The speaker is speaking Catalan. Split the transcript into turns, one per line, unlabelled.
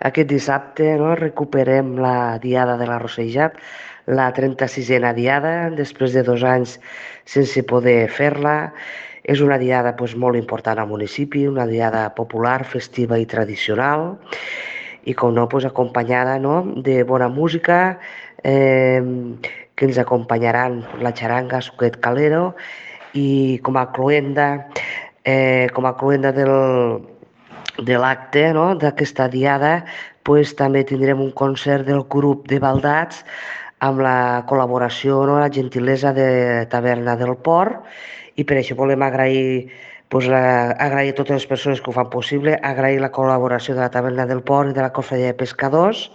Aquest dissabte recuperem la Diada de la Rossellat, la 36a Diada, després de 2 anys sense poder fer-la. És una diada molt important al municipi, una diada popular, festiva i tradicional, i com no, acompanyada de bona música, que ens acompanyaran la xaranga Suquet Calero, i com a cloenda de l'acte d'aquesta diada també tindrem un concert del grup de Baldats amb la col·laboració, la gentilesa de Taverna del Port, i per això volem agrair agrair a totes les persones que ho fan possible, agrair la col·laboració de la Taverna del Port i de la Cofradia de Pescadors,